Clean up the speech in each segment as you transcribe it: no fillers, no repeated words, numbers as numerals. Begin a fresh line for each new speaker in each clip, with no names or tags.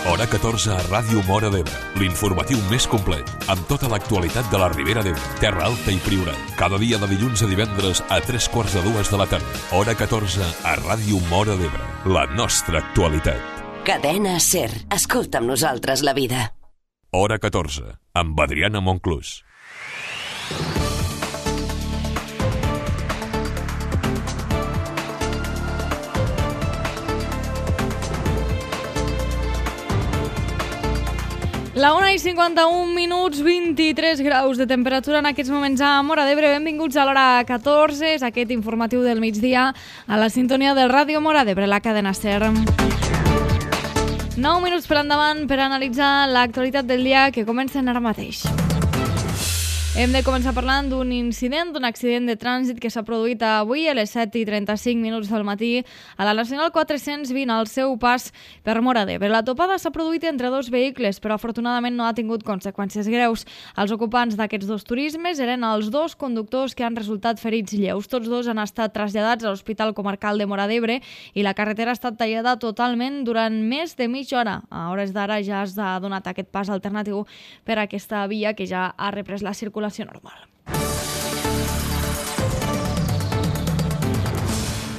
Hora 14 a Ràdio Móra d'Ebre, l'informatiu més complet, amb tota l'actualitat de la Ribera d'Ebre, Terra Alta i Priorat. Cada dia de dilluns a divendres a 3:45 de la tarda. Hora 14 a Ràdio Móra d'Ebre, la nostra actualitat.
Cadena SER. Escolta amb nosaltres la vida.
Hora 14, amb Adriana Monclús.
La 1:51, 23 graus de temperatura en aquests moments a Móra d'Ebre. Benvinguts a l'hora 14, és aquest informatiu del migdia a la sintonia del Ràdio Móra d'Ebre, la cadena SER. 9 minuts per endavant per analitzar l'actualitat del dia que comencen ara mateix. Hem de començar parlant d'un incident, d'un accident de trànsit que s'ha produït avui a les 7:35 del matí a la Nacional 420 al seu pas per Móra d'Ebre. La topada s'ha produït entre dos vehicles, però afortunadament no ha tingut conseqüències greus. Els ocupants d'aquests dos turismes eren els dos conductors que han resultat ferits lleus. Tots dos han estat traslladats a l'Hospital Comarcal de Móra d'Ebre i la carretera ha estat tallada totalment durant més de mitja hora. A hores d'ara ja s'ha donat aquest pas alternatiu per a aquesta via que ja ha reprès la circulació normal.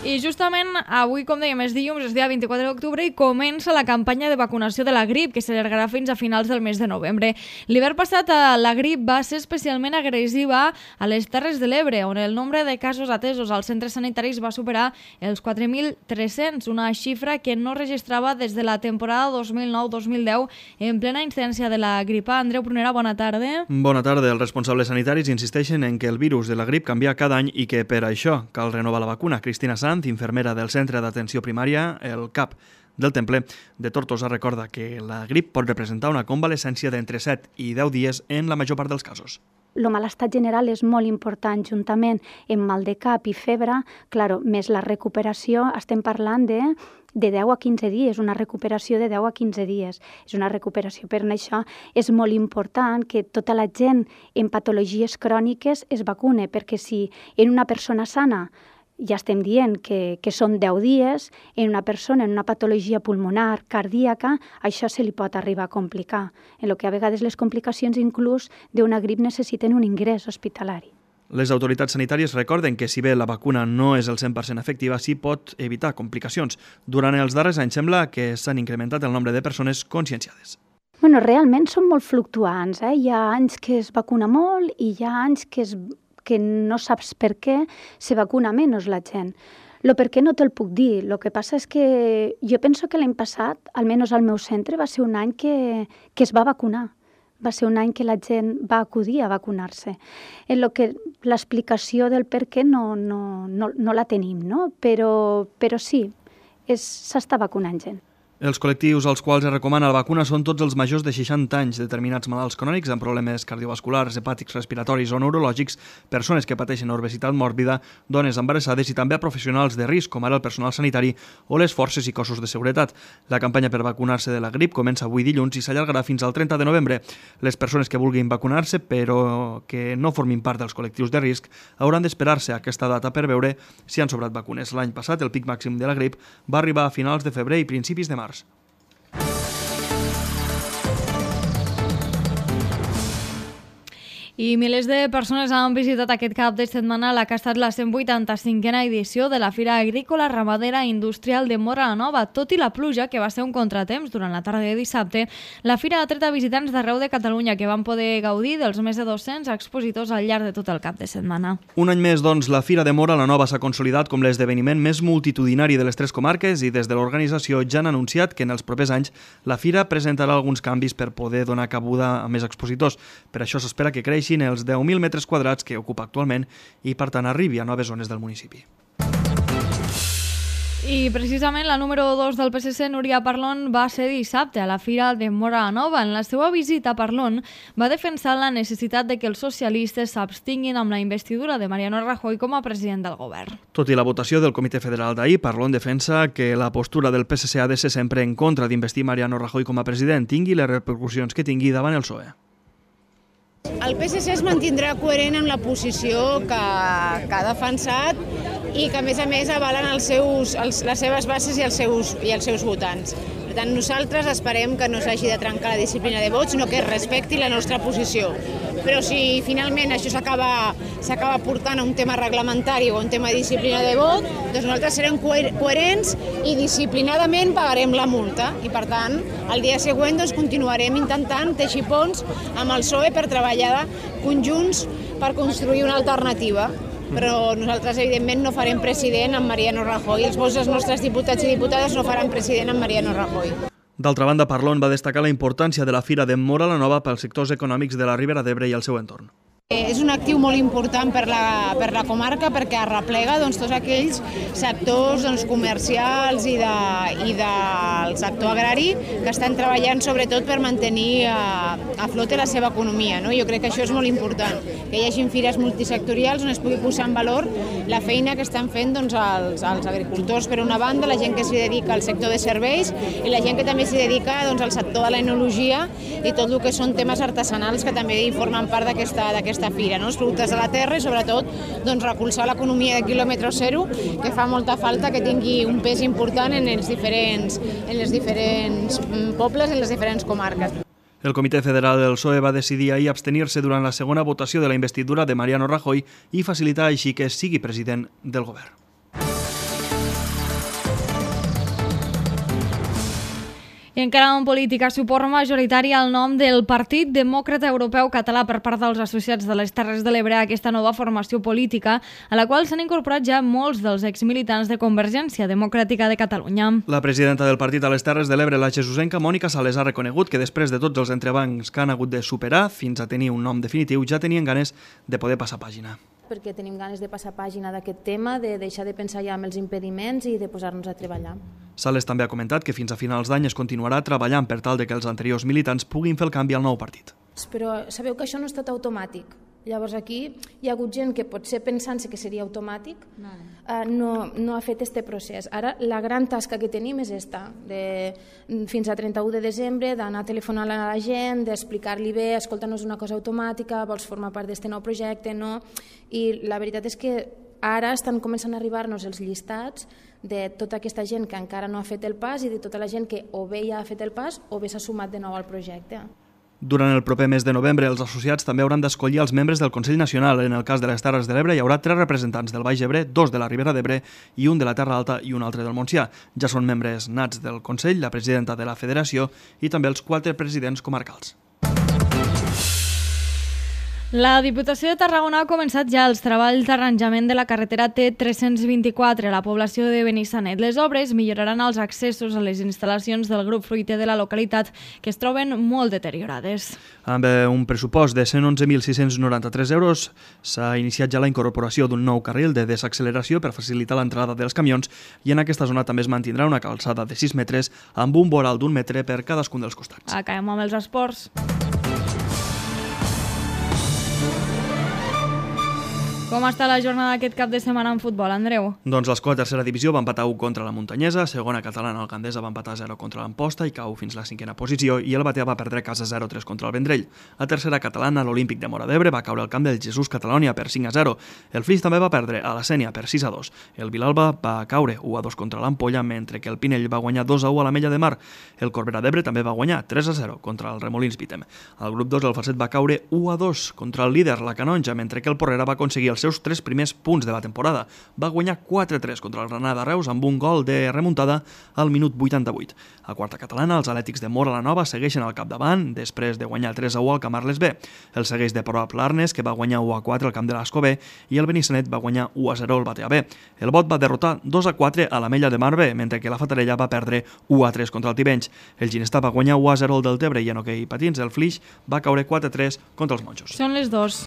I justament avui, com dèiem, és dilluns, és dia 24 d'octubre i comença la campanya de vacunació de la grip, que s'allargarà fins a finals del mes de novembre. L'hivern passat la grip va ser especialment agressiva a les Terres de l'Ebre, on el nombre de casos atesos als centres sanitaris va superar els 4.300, una xifra que no registrava des de la temporada 2009-2010 en plena incidència de la gripa. Andreu Prunera, bona tarda.
Bona tarda. Els responsables sanitaris insisteixen en que el virus de la grip canvia cada any i que per això cal renovar la vacuna. Cristina Sanz, infermera del Centre d'Atenció Primària, el CAP del Temple de Tortosa, recorda que la grip pot representar una convalescència d'entre 7 i 10 dies en la major part dels casos.
El malestar general és molt important, juntament amb mal de cap i febre, més la recuperació, estem parlant de 10 a 15 dies, una recuperació de 10 a 15 dies. És una recuperació, per això és molt important que tota la gent en patologies cròniques es vacune, perquè si en una persona sana ja estem dient que són 10 dies, en una persona en una patologia pulmonar, cardíaca, això se li pot arribar a complicar, en el que a vegades les complicacions inclús d'una grip necessiten un ingrés hospitalari.
Les autoritats sanitàries recorden que si bé la vacuna no és el 100% efectiva, sí pot evitar complicacions. Durant els darrers anys sembla que s'han incrementat el nombre de persones conscienciades.
Realment són molt fluctuants. Hi ha anys que es vacuna molt i hi ha anys que no saps per què se vacuna menys la gent. El per què no te'l puc dir. El que passa és que jo penso que l'any passat, almenys al meu centre, va ser un any que es va vacunar. Va ser un any que la gent va acudir a vacunar-se. En el que l'explicació del per què no la tenim, no? Però sí, s'està vacunant gent.
Els col·lectius als quals es recomana la vacuna són tots els majors de 60 anys, determinats malalts crònics amb problemes cardiovasculars, hepàtics, respiratoris o neurològics, persones que pateixen obesitat mòrbida, dones embarassades i també a professionals de risc, com ara el personal sanitari o les forces i cossos de seguretat. La campanya per vacunar-se de la grip comença avui dilluns i s'allargarà fins al 30 de novembre. Les persones que vulguin vacunar-se, però que no formin part dels col·lectius de risc, hauran d'esperar-se a aquesta data per veure si han sobrat vacunes. L'any passat, el pic màxim de la grip va arribar a finals de febrer i principis de març.
I milers de persones han visitat aquest cap de setmana la que ha estat la 185a edició de la Fira Agrícola, Ramadera i Industrial de Móra la Nova. Tot i la pluja, que va ser un contratemps durant la tarda de dissabte, la Fira ha atret a visitants d'arreu de Catalunya que van poder gaudir dels més de 200 expositors al llarg de tot el cap de setmana.
Un any més, doncs, la Fira de Móra la Nova s'ha consolidat com l'esdeveniment més multitudinari de les tres comarques i des de l'organització ja han anunciat que en els propers anys la Fira presentarà alguns canvis per poder donar cabuda a més expositors. Per això s'espera que creixin els 10.000 metres quadrats que ocupa actualment i, per tant, arribi a noves zones del municipi.
I precisament la número 2 del PSC, Núria Parlon, va ser dissabte a la Fira de Móra la Nova. En la seva visita, Parlon va defensar la necessitat de que els socialistes s'abstinguin amb la investidura de Mariano Rajoy com a president del govern.
Tot i la votació del Comitè Federal d'ahir, Parlon defensa que la postura del PSC ha de ser sempre en contra d'investir Mariano Rajoy com a president, tingui les repercussions que tingui davant el PSOE.
El PSC es mantindrà coherent amb la posició que ha defensat i que a més avalen les seves bases i els seus votants. Per tant, nosaltres esperem que no s'hagi de trencar la disciplina de vot, sinó que es respecti la nostra posició. Però si finalment això s'acaba portant a un tema reglamentari o a un tema de disciplina de vot, doncs nosaltres serem coherents i disciplinadament pagarem la multa. I per tant, el dia següent continuarem intentant teixir ponts amb el PSOE per treballar conjunts per construir una alternativa. Però nosaltres, evidentment, no farem president amb Mariano Rajoy. Els nostres diputats i diputades no faran president amb Mariano Rajoy.
D'altra banda, Parlon va destacar la importància de la Fira de Móra la Nova pels sectors econòmics de la Ribera d'Ebre i el seu entorn.
És un actiu molt important per la comarca perquè arreplega tots aquells sectors comercials i del sector agrari que estan treballant sobretot per mantenir a flote la seva economia. Jo crec que això és molt important, que hi hagi fires multisectorials on es pugui posar en valor la feina que estan fent els agricultors per una banda, la gent que s'hi dedica al sector de serveis i la gent que també s'hi dedica al sector de l'enologia i tot el que són temes artesanals que també formen part d'aquesta fira, els productes de la terra i sobretot recolzar l'economia de quilòmetre zero, que fa molta falta que tingui un pes important en els diferents pobles i en les diferents comarques.
El Comitè Federal del PSOE va decidir ahir abstenir-se durant la segona votació de la investidura de Mariano Rajoy i facilitar així que sigui president del govern.
I encara en política, suport majoritari al nom del Partit Demòcrata Europeu Català per part dels associats de les Terres de l'Ebre a aquesta nova formació política, a la qual s'han incorporat ja molts dels exmilitants de Convergència Democràtica de Catalunya.
La presidenta del partit a les Terres de l'Ebre, la jesusenca Mònica Sales, ha reconegut que després de tots els entrebancs que han hagut de superar fins a tenir un nom definitiu, ja tenien ganes de poder passar pàgina.
Perquè tenim ganes de passar pàgina d'aquest tema, de deixar de pensar ja en els impediments i de posar-nos a treballar.
Sales també ha comentat que fins a finals d'any es continuarà treballant per tal de que els anteriors militants puguin fer el canvi al nou partit.
Però sabeu que això no ha estat automàtic. Llavors aquí hi ha hagut gent que potser pensant-se que seria automàtic no ha fet este procés. Ara la gran tasca que tenim és esta, fins a 31 de desembre, d'anar telefonant a la gent, d'explicar-li bé, escolta, no és una cosa automàtica, vols formar part d'aquest nou projecte, no? I la veritat és que ara estan començant a arribar-nos els llistats de tota aquesta gent que encara no ha fet el pas i de tota la gent que o bé ja ha fet el pas o bé s'ha sumat de nou al projecte.
Durant el proper mes de novembre, els associats també hauran d'escollir els membres del Consell Nacional. En el cas de les Terres de l'Ebre hi haurà 3 representants del Baix Ebre, 2 de la Ribera d'Ebre i un de la Terra Alta i un altre del Montsià. Ja són membres nats del Consell, la presidenta de la Federació i també els 4 presidents comarcals.
La Diputació de Tarragona ha començat ja els treballs d'arranjament de la carretera T324 a la població de Benissanet. Les obres milloraran els accessos a les instal·lacions del grup fruiter de la localitat, que es troben molt deteriorades.
Amb un pressupost de 111.693 euros, s'ha iniciat ja la incorporació d'un nou carril de desacceleració per facilitar l'entrada dels camions i en aquesta zona també es mantindrà una calçada de 6 metres amb un voral d'1 metre per cadascun dels costats.
Acabem amb els esports. Com està la jornada aquest cap de setmana en futbol, Andreu?
Doncs l'Escola tercera divisió va empatar 1 contra la Muntanyesa, segona catalana el Gandesa va empatar 0 contra l'Amposta i cau fins la 5a posició i el Batea va perdre a casa 0-3 contra el Vendrell. A tercera catalana l'Olímpic de Móra d'Ebre va caure al camp del Jesús Catalònia per 5-0. El Flix també va perdre a la Sénia per 6-2. El Vilalba va caure 1-2 contra l'Ampolla, mentre que el Pinell va guanyar 2-1 a la Mella de Mar. El Corbera d'Ebre també va guanyar 3-0 contra el Remolins Vitem. Al grup 2 el Falset va caure 1-2 contra el líder, la Canonja, mentre que el Porrera va aconseguir els seus 3 primers punts de la temporada. Va guanyar 4-3 contra el Granada Reus amb un gol de remuntada al minut 88. A quarta catalana, els Atlètics de Móra la Nova segueixen al capdavant després de guanyar 3-1 al Camarles B. El segueix de prop l'Arnes, que va guanyar 1-4 al camp de l'Ascó B, i el Benissanet va guanyar 1-0 al Batea B. El Bot va derrotar 2-4 a la Mella de Mar B, mentre que la Fatarella va perdre 1-3 contra el Tivenys. El Ginestar va guanyar 1-0 al Deltebre i en hoquei patins el Flix va caure 4-3 contra els Monjos.
Són les 2.